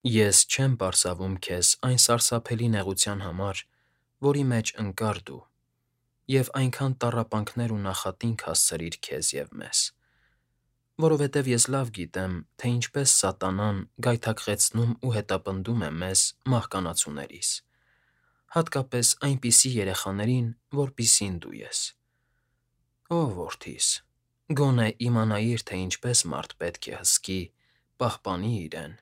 Ես չեմ պարզավում քեզ այն սարսափելի նեղության համար, որի մեջ ընկար դու, և այնքան տառապանքներ ու նախատինք հասցրիր քեզ և մեզ, որովհետև ես լավ գիտեմ, թե ինչպես սատանան գայթակղեցնում ու հետապնդում է մեզ՝ մահկանացուներիս, հատկապես այնպիսի երեխաներին, որպիսին դու ես։ Ո՛վ որդիս, գոնե իմանայիր, թե ինչպես մարդ պետք է հսկի, պահպանի իրեն,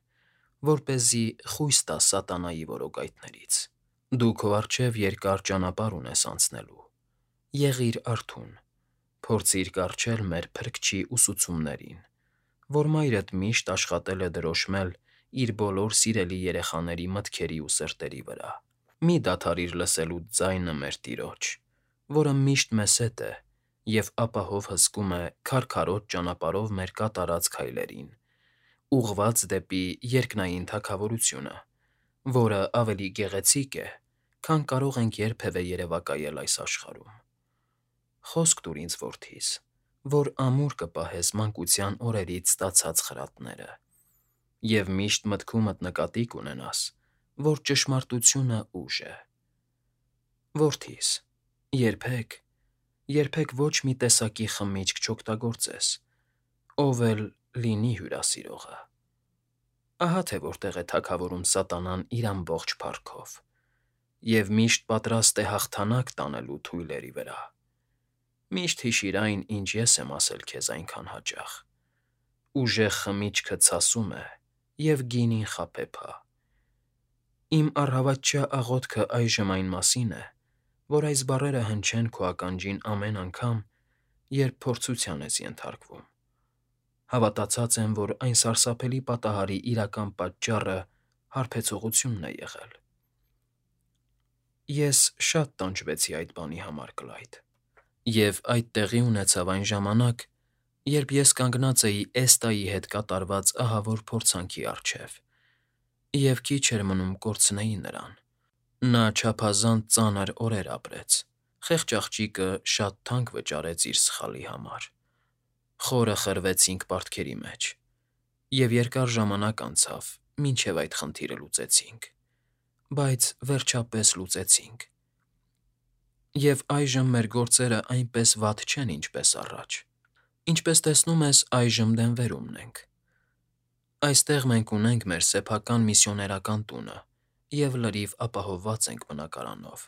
որպեսզի խույս տա սատանայի որոգայթներից։ Դու քո առջև երկար ճանապարհ ունես անցնելու։ Եղիր արթուն, փորձիր կառչել մեր Փրկչի ուսուցումներին, որ մայրդ միշտ աշխատել է դրոշմել իր բոլոր սիրելի երեխաների մտքերի ու սրտերի վրա։ Մի դադարիր լսելուց ձայնը մեր Տիրոջ, որը միշտ մեզ հետ է և ապահով հսկում է քարքարոտ ճանապարհով մեր կատարած քայլերին, ուղղված դեպի երկնային Թագավորությունը, որը ավելի գեղեցիկ է, քան կարող ենք երբևէ երևակայել այս աշխարհում։ Խոսք տուր ինձ, որդիս, որ ամուր կպահես մանկության օրերից ստացած խրատները, և միշտ մտքումդ նկատի կունենաս, որ ճշմարտությունը ուժ է։ Որդիս, երբեք ոչ մի տեսակի խմիչք չօգտագործես, ով էլ լինի հյուրասիրողը։ Ահա թե որտեղ է թագավորում սատանան իր ամբողջ փառքով, և միշտ պատրաստ է հաղթանակ տանելու թույլերի վրա։ Միշտ հիշիր այն, ինչ ես եմ ասել քեզ այնքան հաճախ. ուժեղ խմիչքը ցասում է, և գինին խաբեբա։ Իմ առհավատչյա աղոթքը այժմ այն մասին է, որ այս բառերը հնչեն քո ականջին ամեն անգամ, երբ փորձության ես ենթարկվում։ Հավատացած եմ, որ այն սարսափելի պատահարի իրական պատճառը հարբեցողությունն է եղել։ Ես շատ տանջվեցի այդ բանի համար, Կլայդ, և այդ տեղի ունեցավ այն ժամանակ, երբ ես կանգնած էի Էստայի հետ կատարված ահավոր փորձանքի առջև, և քիչ էր մնում կորցնեի նրան։ Նա չափազանց ծանր օրեր ապրեց, խեղճ աղջիկը շատ թանկ վճարեց իր սխալի համար։ Խորը խրվեցինք պարտքերի մեջ, և երկար ժամանակ անցավ, մինչև այդ խնդիրը լուծեցինք, բայց վերջապես լուծեցինք։ Եվ այժմ մեր գործերը այնպես վատ չեն, ինչպես առաջ։ Ինչպես տեսնում ես, այժմ դեմվերումն ենք։ Այստեղ մենք ունենք մեր սեփական միսիոներական տունը և լրիվ ապահովված ենք բնակարանով։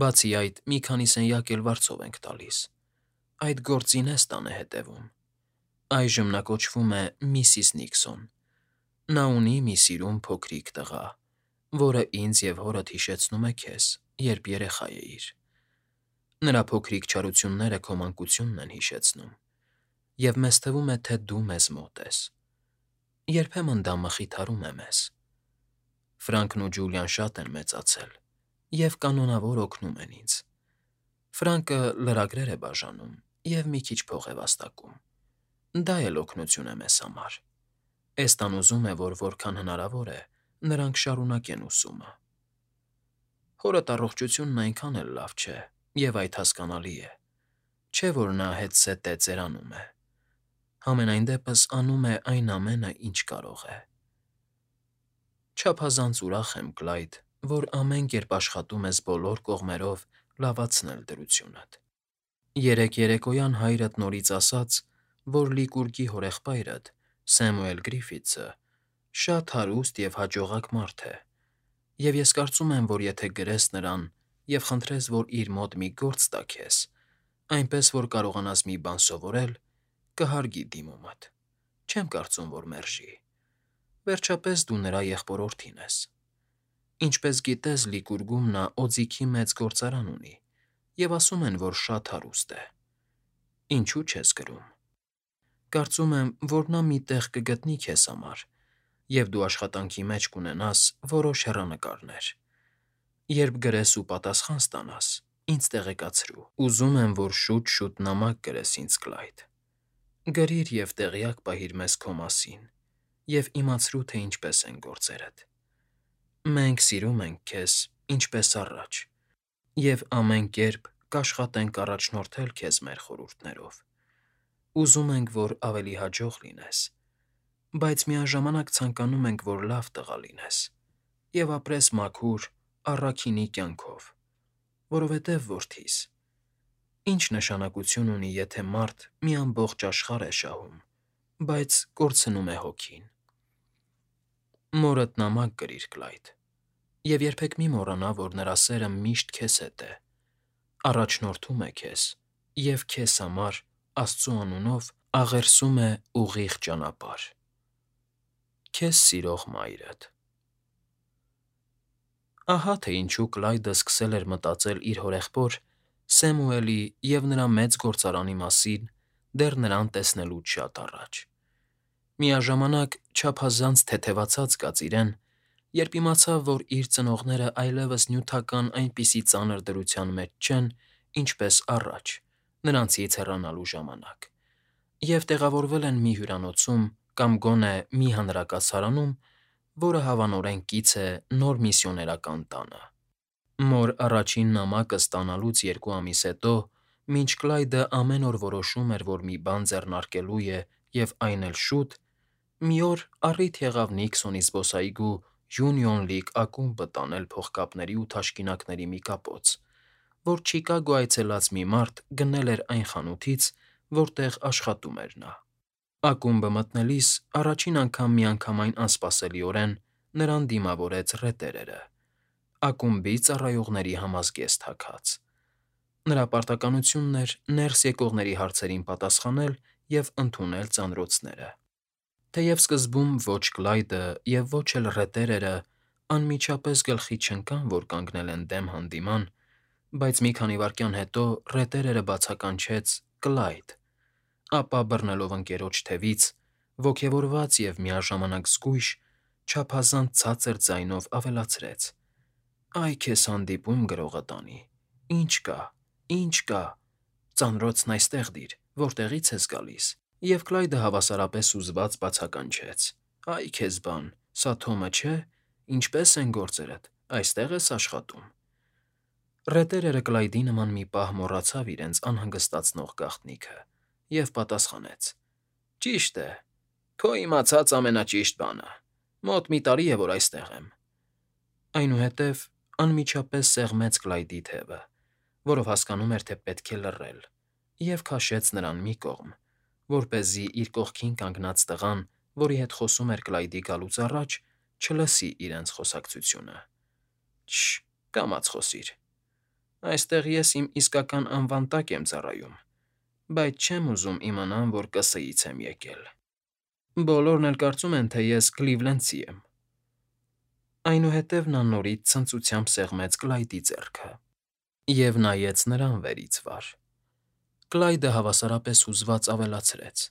Բացի այդ, մի քանի սենյակ էլ վարձով ենք տալիս։ Այդ գործին Էստան է հետևում։ Այժմ նա կոչվում է Միսիս Նիքսոն։ Նա ունի մի սիրուն փոքրիկ տղա, որը ինձ և հորդ հիշեցնում է քեզ, երբ երեխա էիր։ Նրա փոքրիկ չարությունները քո մանկությունն են հիշեցնում, և մեզ թվում է, թե դու մեզ մոտ ես։ Երբեմն դա մխիթարում է մեզ։ Ֆրանկն ու Ջուլիան շատ են մեծացել և կանոնավոր օգնում են ինձ։ Ֆրանկը լրագրեր է բաժանում և մի քիչ փող է վաստակում։ Դա էլ օգնություն է մեզ համար։ Էստան ուզում է, որ որքան հնարավոր է, նրանք շարունակեն ուսումը։ Հորդ առողջությունն այնքան էլ լավ չէ, և այդ հասկանալի է։ Չէ՞ որ նա հետզհետե ծերանում է։ Համենայն դեպս անում է այն ամենը, ինչ կարող է։ Չափազանց ուրախ եմ, Կլայդ, որ ամեն կերպ աշխատում ես բոլոր կողմերով լավացնել դրությունդ։ Երեկ երեկոյան հայրդ նորից ասաց, որ Լիկուրգի հորեղբայրդ՝ Սեմուել Գրիֆիթսը, շատ հարուստ և հաջողակ մարդ է, և ես կարծում եմ, որ եթե գրես նրան և խնդրես, որ իր մոտ մի գործ տա քեզ, այնպես որ կարողանաս մի բան սովորել, կհարգի դիմումդ։ Չեմ կարծում, որ մերժի։ Վերջապես դու նրա եղբորորդին ես։ Ինչպես գիտես, Լիկուրգում նա օձիքի մեծ գործարան ունի, և ասում են, որ շատ հարուստ է։ Ինչու՞ չես գրում։ Կարծում եմ, որ նա մի տեղ կգտնի քեզ համար, և դու աշխատանքի մեջ կունենաս որոշ հեռանկարներ։ Երբ գրես ու պատասխան ստանաս, ինձ տեղեկացրու։ Ուզում եմ, որ շուտ֊շուտ նամակ գրես ինձ, Կլայդ։ Գրիր և տեղյակ պահիր մեզ քո մասին և իմացրու, թե ինչպես են գործերդ։ Մենք սիրում ենք քեզ, ինչպես առաջ, և ամեն կերպ կաշխատենք առաջնորդել քեզ մեր խորհուրդներով։ Ուզում ենք, որ ավելի հաջող լինես, բայց միաժամանակ ցանկանում ենք, որ լավ տղա լինես և ապրես մաքուր, առաքինի կյանքով, որովհետև, որդիս, ինչ նշանակություն ունի, եթե մարդ մի ամբողջ աշխարհ է շահում, բայց կորցնում է հոգին։ Մորդ նամակ գրիր, Կլայդ, և երբեք մի մոռանա, որ նրա սերը միշտ քեզ հետ է, առաջնորդում է քեզ և քեզ համար, Աստծու անունով, աղերսում է ուղիղ ճանապարհ։ Քեզ սիրող մայրդ։ Ահա թե ինչու Կլայդը սկսել էր մտածել իր հորեղբոր Սեմուելի և նրա մեծ գործարանի մասին դեռ նրան տեսնելուց շատ առաջ։ Միաժամանակ չափազանց թեթևացած կաց իրեն, երբ իմացավ, որ իր ծնողները այլևս նյութական այնպիսի ծանր դրության մեջ չեն, ինչպես առաջ, նրանցից հեռանալու ժամանակ, և տեղավորվել են մի հյուրանոցում կամ գոնե մի հանրակացարանում, որը հավանորեն կից է նոր միսիոներական տանը։ Մոր առաջին նամակը ստանալուց 2 ամիս հետո, մինչ Կլայդը ամեն օր որոշում էր, որ մի բան ձեռնարկելու է և այն էլ շուտ, մի օր առիթ եղավ Նիքսոնի զբոսայգու Union League ակումբը տանել փողկապների ու թաշկինակների մի կապոց, որ Չիկագո այցելած մի մարդ գնել էր այն խանութից, որտեղ աշխատում էր նա։ Ակումբը մտնելիս առաջին անգամ միանգամայն անսպասելիորեն նրան դիմավորեց ռետերերը, ակումբի ծառայողների համազգեստ հագած։ Նրա պարտականությունն էր ներս եկողների հարցերին պատասխանել և ընդունել ծանրոցները։ Թեև սկզբում ոչ Կլայդը և ոչ էլ ռետերերը անմիջապես գլխի չընկան, որ կանգնել են դեմ հանդիման, բայց մի քանի վայրկյան հետո ռետերերը բացականչեց Կլայդ, ապա բռնելով ընկերոջ թևից, ոգևորված և միաժամանակ զգույշ, չափազանց ցածր ձայնով ավելացրեց. «Այ քեզ հանդիպում գրողը տանի, ի՞նչ կա, ի՞նչ կա, ծանրոցն այստեղ դիր, որտեղի՞ց ես գալիս»։ Եվ Կլայդը հավասարապես հուզված բացականչեց. «Այ քեզ բան, սա Թոմը չէ, ինչպե՞ս են գործերդ, այստեղ ես աշխատում»։ Ռետերերը Կլայդի նման մի պահ մոռացավ իրենց անհանգստացնող գաղտնիքը և պատասխանեց. «Ճիշտ է, քո իմացած ամենաճիշտ բանը, մոտ մի տարի է, որ այստեղ եմ»։ Այնուհետև անմիջապես սեղմեց Կլայդի թևը, որով հասկանում էր, թե պետք է լռել, և քաշեց նրան մի կողմ, որպեսզի իր կողքին կանգնած տղան, որի հետ խոսում էր Կլայդի գալուց առաջ, չլսի իրենց խոսակցությունը։ «Շ՜, կամաց խոսիր։ Այստեղ ես իմ իսկական անվան տակ եմ ծառայում, բայց չեմ ուզում իմանան, որ ԿՍՀ-ից եմ եկել։ Բոլորն էլ կարծում են, թե ես Կլիվլենդցի եմ»։ Այնուհետև նա նորից ցնծությամբ սեղմեց Կլայդի ձեռքը և նայեց նրան վերից վար։ Կլայդը հավասարապես հուզված ավելացրեց.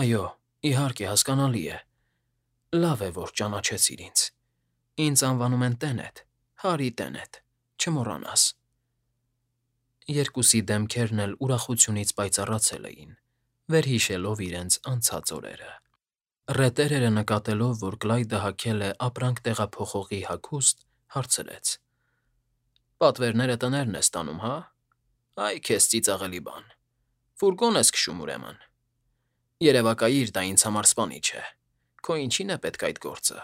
«Այո, իհարկե, հասկանալի է։ Լավ է, որ ճանաչեցիր ինձ։ Ինձ անվանում են Տենեթ, Հարի Տենեթ, չմոռանաս»։ Երկուսի դեմքերն էլ ուրախությունից պայծառացել էին, վերհիշելով իրենց անցած օրերը։ Ռետերերը նկատելով, որ Կլայդը հագել է ապրանք տեղափոխողի հագուստ, հարցրեց. «Պատվերները տներն ես տանում, հա՞։ Այ քեզ ծիծաղելի բան։ Ֆուրգոն ես քշում, ուրեմն։ Երևակայիր, դա ինձ համար սպանիչ է։ Քո ինչի՞ն է պետք այդ գործը»։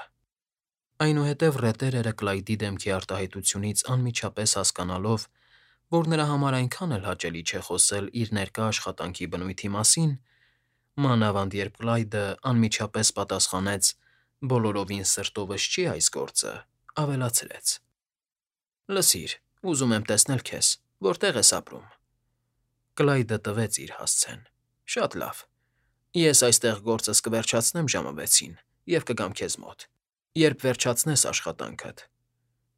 Այնուհետև ռետերերը Կլայդի դեմքի արտահայտությունից անմիջապես հասկանալով, որ նրա համար այնքան էլ հաճելի չէ խոսել իր ներկա աշխատանքի բնույթի մասին, մանավանդ երբ Կլայդը անմիջապես պատասխանեց. «Բոլորովին սրտովս չի այս գործը», ավելացրեց. «Լսիր, ուզում եմ տեսնել քեզ, որտեղ ես ապրում»։ Կլայդը տվեց իր հասցեն. «Շատ լավ։ Ես այստեղ գործս կվերջացնեմ ժամը 6-ին և կգամ քեզ մոտ, երբ վերջացնես աշխատանքդ։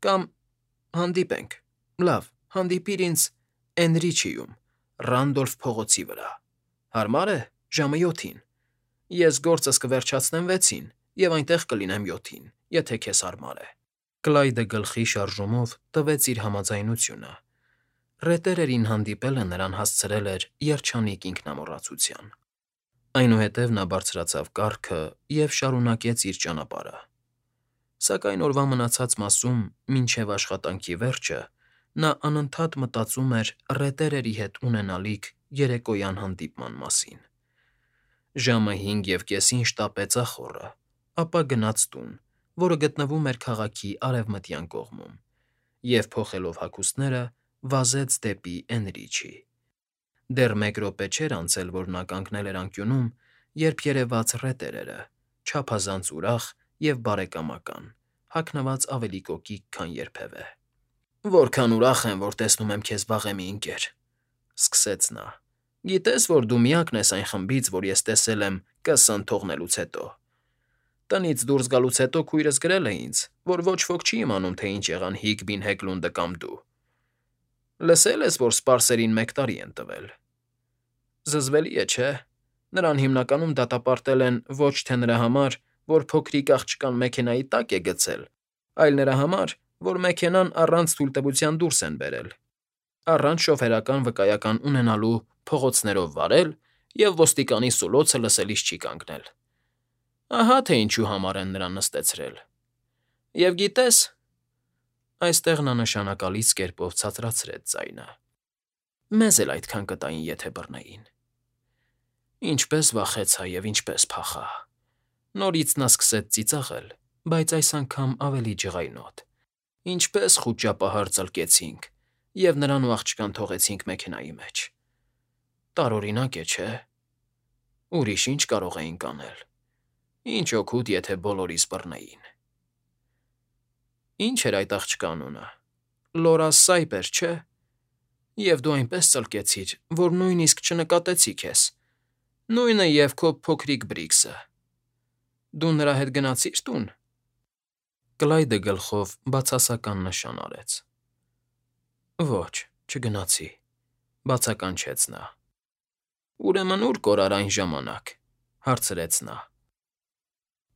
Կամ հանդիպենք, լավ, հանդիպիր ինձ Էնրիչիում, Ռանդոլֆ փողոցի վրա։ Հարմա՞ր է, ժամը 7-ին։ Ես գործս կվերջացնեմ 6-ին և այնտեղ կլինեմ 7-ին, եթե քեզ հարմար է»։ Կլայդը գլխի շարժումով տվեց իր համաձայնությունը։ Ռետերերին հանդիպելը նրան հասցրել էր երջանիկ ինքնամոռացության։ Այնուհետև նա բարձրացավ կառքը և շարունակեց իր ճանապարհը։ Սակայն օրվա մնացած մասում, մինչև աշխատանքի վերջը, նա անընդհատ մտածում էր ռետերերի հետ ունենալիք երեկոյան հանդիպման մասին։ Ժամը 5:30-ին շտապեց ախոռը, ապա գնաց տուն, որը գտնվում էր քաղաքի արևմտյան կողմում, և փոխելով հագուստները, վազեց դեպի Էնրիչի։ Դեռ 1 րոպե չէր անցել, որ նա կանգնել էր անկյունում, երբ երևաց ռետերերը, չափազանց ուրախ և բարեկամական, հագնված ավելի կոկիկ, քան երբևէ։ «Որքան ուրախ եմ, որ տեսնում եմ քեզ վաղեմի, ընկեր», ֊ սկսեց նա։ «Գիտես, որ դու միակն ես այն խմբից, որ ես տեսել եմ ԿՍՆ թողնելուց հետո։ Տնից դուրս գալուց հետո քույրս գրել է ինձ, որ ոչ ոք չի իմանում, թե ինչ եղան Հիգբին Հեգլունդը կամ դու։ Լսել ես, որ սպարսերին 1 տարի են տվել։ Զզվելի է, չէ՞։ Նրան հիմնականում դատապարտել են ոչ թե նրա համար, որ փոքրիկ աղջկան մեքենայի տակ է գցել, այլ նրա համար, որ մեքենան առանց թույլտվության դուրս են բերել, առանց շոֆերական վկայական ունենալու փողոցներով վարել և ոստիկանի սուլոցը լսելիս չի կանգնել։ Ահա թե ինչու համար են նրան նստեցրել։ Եվ գիտես…» Այստեղ նա նշանակալից կերպով ցածրացրեց ձայնը։ «Մեզ էլ այդքան կտային, եթե բռնեին»։ Ինչպես վախեցա և ինչպես փախա։ Նորից նա սկսեց ծիծաղել, բայց այս անգամ ավելի ջղայնոտ։ Ինչպես խուճապահար ծլկեցինք, և նրան ու աղջկան թողեցինք մեքենայի մեջ։ Տարօրինակ է, չէ՞։ Ուրիշ ինչ կարող էինք անել։ Ինչ օգուտ, եթե բոլորիս բռնեին։ Ինչ էր այդ աղջկա անունը։ Լորա Սայպեր, չէ՞։ Եվ դու այնպես ծլկեցիր, որ նույնիսկ չնկատեցի քեզ։ Նույնը և քո փոքրիկ Բրիքսը։ Դու նրա հետ գնացի՞ր տուն։ Կլայդը գլխով բացասական նշան արեց։ Ոչ, չգնացի, բացականչեց նա։ Ուրեմն ուր կորար այն ժամանակ, հարցրեց նա։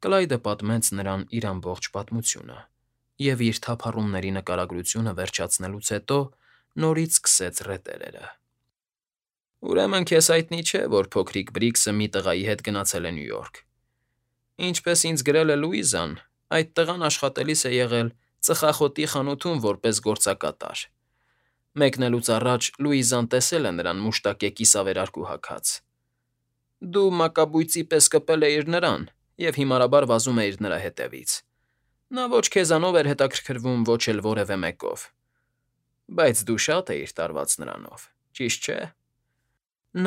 Կլայդը պատմեց նրան իր ամբողջ պատմությունը, և իր թափառումների նկարագրությունը վերջացնելուց հետո նորից սկսեց ռետերերը։ Ուրեմն քեզ հայտնի չէ, որ փոքրիկ Բրիքսը մի տղայի հետ գնացել է Նյու Յորք։ Ինչպես ինձ գրել է Լուիզան, այդ տղան աշխատելիս է եղել ծխախոտի խանութում որպես գործակատար։ Մեկնելուց առաջ Լուիզան տեսել է նրան մուշտակե կիսավերարկու հագած։ Դու մակաբույծի պես կպել էիր նրան և հիմարաբար վազում էիր նրա հետևից։ Նա ոչ քեզանով էր հետաքրքրվում, ոչ էլ որևէ մեկով։ Բայց դու շատ էիր տարված նրանով, ճիշտ չէ։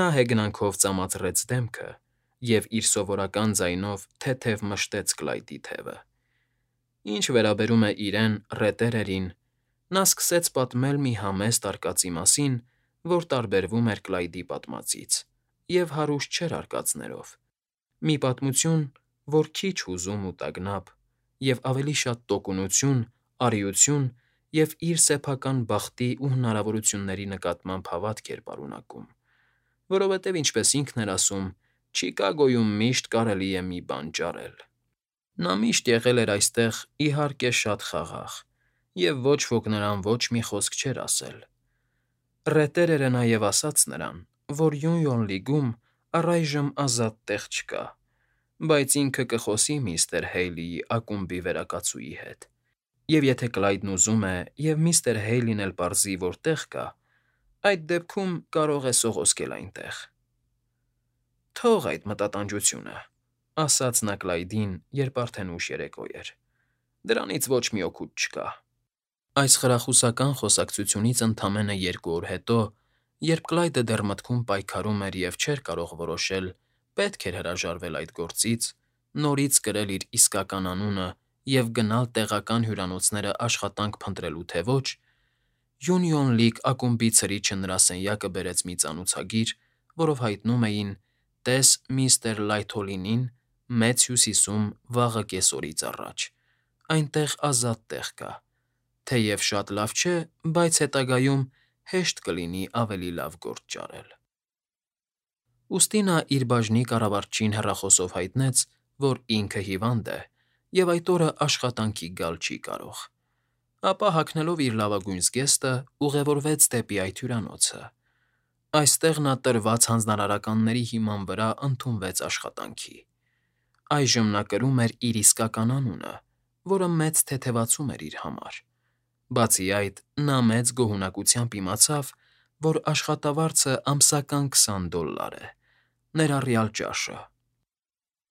Նա հեգնանքով ծամածրեց դեմքը և իր սովորական ձայնով թեթև մշտեց Կլայդի թևը։ Ինչ վերաբերում է իրեն, ռետերերին, նա սկսեց պատմել մի համեստ արկածի մասին, որ տարբերվում էր Կլայդի պատմածից, և հարուստ չէր արկածներով։ Մի պատմություն, որ քիչ հուզում ու տագնապ, և ավելի շատ տոկունություն, արիություն և իր սեփական բախտի ու հնարավորությունների նկատմամբ հավատք էր պարունակում, որովհետև, ինչպես ինքն էր ասում, Չիկագոյում միշտ կարելի է մի բան ճարել։ Նա միշտ եղել էր այստեղ, իհարկե, շատ խաղաղ, և ոչ ոք նրան ոչ մի խոսք չէր ասել։ Ռետերերը նաև ասաց նրան, որ Յունյոն լիգում առայժմ ազատ տեղ չկա, բայց ինքը կխոսի միստր Հեյլիի ակումբի վերակացուի հետ, և եթե Կլայդն ուզում է, և միստր Հեյլին էլ պարզի, որ տեղ կա, այդ դեպքում կարող է սողոսկել այնտեղ։ Թող այդ մտատանջությունը, ասաց նա Կլայդին, երբ արդեն ուշ երեկո էր։ Դրանից ոչ մի օգուտ չկա։ Այս խրախուսական խոսակցությունից ընդամենը 2 օր հետո, երբ Կլայդը դեռ մտքում պայքարում էր և չէր կարող որոշել՝ պետք էր հրաժարվել այդ գործից, նորից կրել իր իսկական անունը և գնալ տեղական հյուրանոցները աշխատանք փնտրելու, թե ոչ, Յունիոն Լիգ ակումբի ցրիչը նրա սենյակը բերեց մի ծանոցագիր, որով հայտնում էին. «Տես միստր Լայթոլինին Մեծ Հյուսիսում վաղը կեսօրից առաջ. Այնտեղ ազատ տեղ կա, թեև շատ լավ չէ, բայց հետագայում հեշտ կլինի ավելի լավ գործ ճարել»։ Ուստի նա իր բաժնի կառավարչին հեռախոսով հայտնեց, որ ինքը հիվանդ է և այդ օրը աշխատանքի գալ չի կարող։ Ապա հագնելով իր լավագույն զգեստը՝ ուղևորվեց դեպի այդ հյուրանոցը։ Այստեղ նա տրված հանձնարարականների հիման վրա ընդունվեց աշխատանքի։ Այժմ նա կրում էր իր իսկական անունը, որը մեծ թեթևացում էր իր համար։ Բացի այդ, նա մեծ գոհունակությամբ իմացավ, որ աշխատավարձը ամսական $20 է, ներառյալ ճաշը։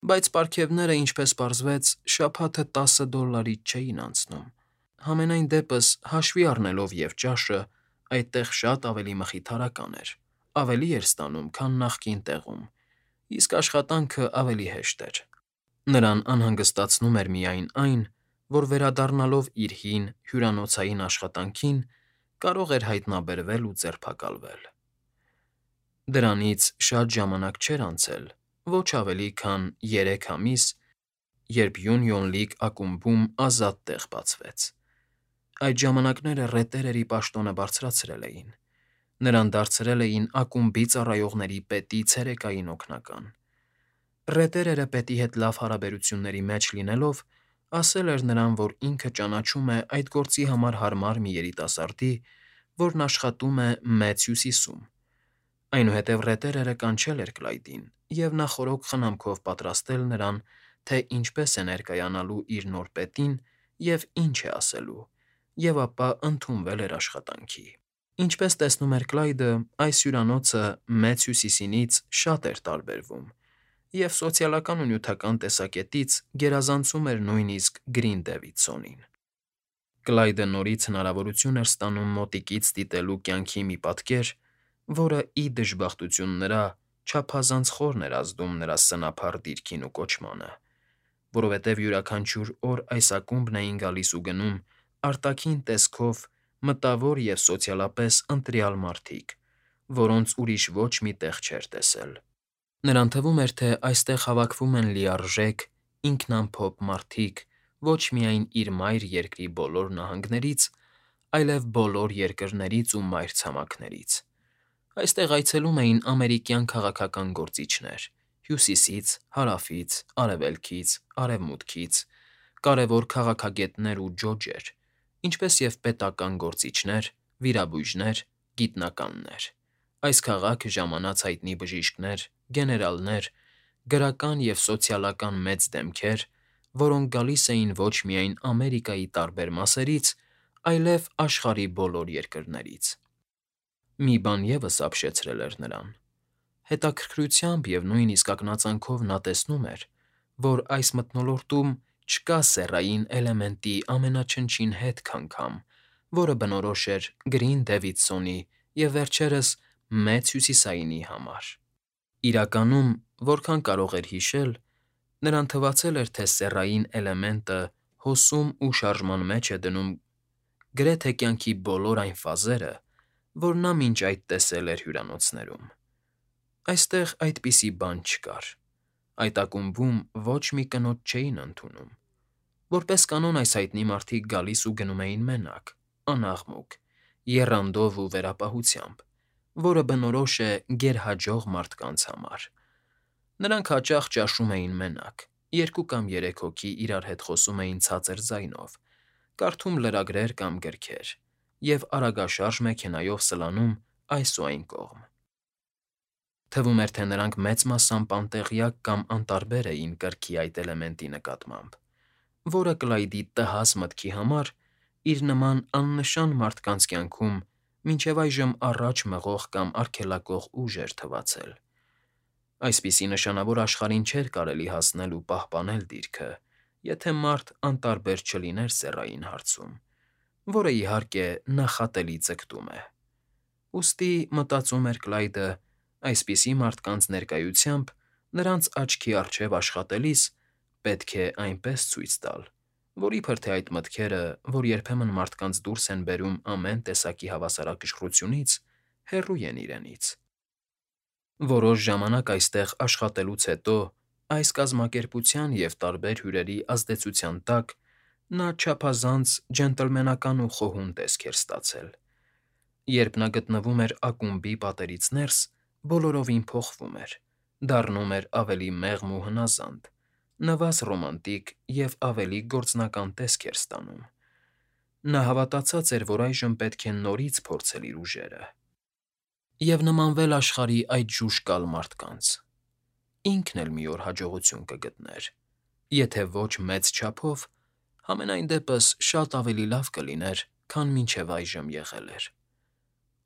Բայց պարգևները, ինչպես պարզվեց, շաբաթը $10 չէին անցնում։ Համենայն դեպս, հաշվի առնելով և ճաշը, այդտեղ շատ ավելի մխիթարական էր, ավելի էր ստանում, քան նախկին տեղում, իսկ աշխատանքը ավելի հեշտ էր։ Նրան անհանգստացնում էր միայն այն, որ վերադառնալով իր հին, հյուրանոցային աշխատանքին, կարող էր հայտնաբերվել ու ձերբակալվել։ Դրանից շատ ժամանակ չէր անցել, ոչ ավելի քան 3 ամիս, երբ Յունիոն Լիգ ակումբում ազատ տեղ բացվեց։ Այդ ժամանակները ռետերերի պաշտոնը բարձրացրել էին։ Նրան դարձրել էին ակումբի ծառայողների պետի ցերեկային օգնական։ Ռետերերը պետի հետ լավ հարաբերությունների մեջ լինելով, ասել էր նրան, որ ինքը ճանաչում է այդ գործի համար հարմար մի երիտասարդի, որն աշխատում է Մեծ Հյուսիսում։ Այնուհետև ռետերերը կանչել էր Կլայդին և նախօրոք խնամքով պատրաստել նրան, թե ինչպես է ներկայանալու իր նոր պետին և ինչ է ասելու, և ապա ընդունվել էր աշխատանքի։ Ինչպես տեսնում էր Կլայդը, այս հյուրանոցը Մեծ Հյուսիսինից շատ էր տարբերվում և սոցիալական ու նյութական տեսակետից գերազանցում էր նույնիսկ Գրին Դեվիդսոնին։ Կլայդը նորից հնարավորություն էր ստանում մոտիկից դիտելու կյանքի մի պատկեր, որը, ի դժբախտություն նրա, չափազանց խորն էր ազդում նրա սնափառ դիրքին ու կոչմանը, որովհետև յուրաքանչյուր օր այս ակումբն էին գալիս ու գնում արտաքին տեսքով մտավոր և սոցիալապես ընտրյալ մարդիկ, որոնց ուրիշ ոչ մի տեղ չէր տեսել։ Նրան թվում էր, թե այստեղ հավաքվում են լիարժեք, ինքնամփոփ մարդիկ ոչ միայն իր մայր երկրի բոլոր նահանգներից, այլև բոլոր երկրներից ու մայրցամաքներից։ Այստեղ այցելում էին ամերիկյան քաղաքական գործիչներ Հյուսիսից, Հարավից, Արևելքից, Արևմուտքից, կարևոր քաղաքագետներ ու ջոջեր, ինչպես և պետական գործիչներ, վիրաբույժներ, գիտնականներ։ Այս քաղաքը ժամանած հայտնի բժիշկներ, գեներալներ, գրական և սոցիալական մեծ դեմքեր, որոնք գալիս էին ոչ միայն Ամերիկայի տարբեր մասերից, այլև աշխարհի բոլոր երկրներից։ Մի բան ևս ապշեցրել էր նրան։ Հետաքրքրությամբ և նույնիսկ ակնածանքով նա տեսնում էր, որ այս մթնոլորտում չկա սեռային էլեմենտի ամենաչնչին հետք անգամ, որը բնորոշ էր Գրին Դեվիդսոնի և վերջերս Մեծ Հյուսիսայինի համար։ Իրականում, որքան կարող էր հիշել, նրան թվացել էր, թե սեռային էլեմենտը հոսում ու շարժման մեջ է դնում գրեթե կյանքի բոլոր այն ֆազերը, որ նա մինչ այդ տեսել էր հյուրանոցներում։ Այստեղ այդպիսի բան չկար։ Այդ ակումբում ոչ մի կնոջ չէին ընդունում։ Որպես կանոն այս հայտնի մարդիկ գալիս ու գնում էին մենակ, անաղմուկ, եռանդով ու վերապահությամբ, որը բնորոշ է գերհաջող մարդկանց համար։ Նրանք հաճախ ճաշում էին մենակ, 2 կամ 3 հոգի իրար հետ խոսում էին ցածր ձայնով, կարդում լրագրեր կամ գրքեր և արագաշարժ մեքենայով սլանում այս ու այն կողմ։ Թվում էր, թե նրանք մեծ մասամբ անտեղյակ կամ անտարբեր էին կրքի այդ էլեմենտի նկատմամբ, որը Կլայդի տհաս մտքի համար իր նման աննշան մարդկանց կյանքում մինչև այժմ առաջ մղող կամ արգելակող ուժ էր թվացել։ Այսպիսի նշանավոր աշխարհին չէր կարելի հասնել ու պահպանել դիրքը, եթե մարդ անտարբեր չլիներ սեռային հարցում, որը, իհարկե, նախատելի ձգտում է։ Ուստի, մտածում էր Կլայդը, այսպիսի մարդկանց ներկայությամբ նրանց աչքի առջև աշխատելիս պետք է այնպես ցույց տալ, որ իբր թե այդ մտքերը, որ երբեմն մարդկանց դուրս են բերում ամեն տեսակի հավասարակշռությունից, հեռու են իրենից։ Որոշ ժամանակ այստեղ աշխատելուց հետո այս կազմակերպության և տարբեր հյուրերի ազդեցության տակ նա չափազանց ջենտլմենական ու խոհուն տեսք էր ստացել։ Երբ նա գտնվում էր ակումբի պատերից ներս, բոլորովին փոխվում էր, դառնում էր ավելի մեղմ ու հնազանդ, նվազ ռոմանտիկ և ավելի գործնական տեսք էր ստանում։ Նա հավատացած էր, որ այժմ պետք է նորից փորձել իր ուժերը և նմանվել աշխարհի այդ ժուժկալ մարդկանց։ Ինքն էլ մի օր հաջողություն կգտներ, եթե ոչ մեծ չափով, համենայն դեպս շատ ավելի լավ կլիներ, քան մինչև այժմ եղել էր։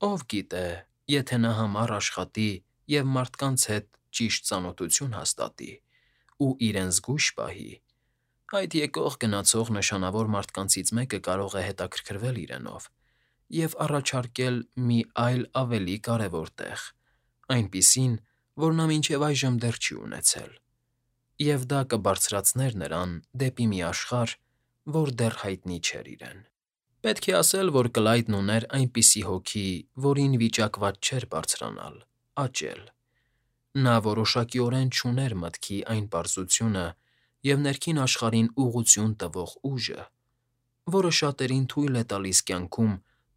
Ով գիտե, եթե նա համառ աշխատի և մարդկանց հետ ճիշտ ծանոթություն հաստատի, ու իրեն զգույշ պահի, այդ եկող-գնացող նշանավոր մարդկանցից մեկը կարող է հետաքրքրվել իրենով և առաջարկել մի այլ ավելի կարևոր տեղ, այնպիսին, որ նա մինչև այժմ դեռ չի ունեցել, և դա կբարձրացներ նրան դեպի մի աշխարհ, որ դեռ հայտնի չէր իրեն։ Պետք է ասել, որ Կլայդն ուներ այնպիսի հոգի, որին վիճակված չէր բարձրանալ, աճել։ Նա որոշակիորեն չուներ մտքի այն պարզությունը և ներքին աշխարհին ուղղություն տվող ուժը, որը շատերին թույլ է տալիս կյանքում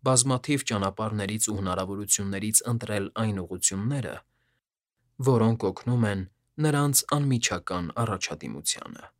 բազմաթիվ ճանապարհներից ու հնարավորություններից ընտրել այն ուղղությունները, որոնք օգնում են նրանց անմիջական առաջադիմությանը։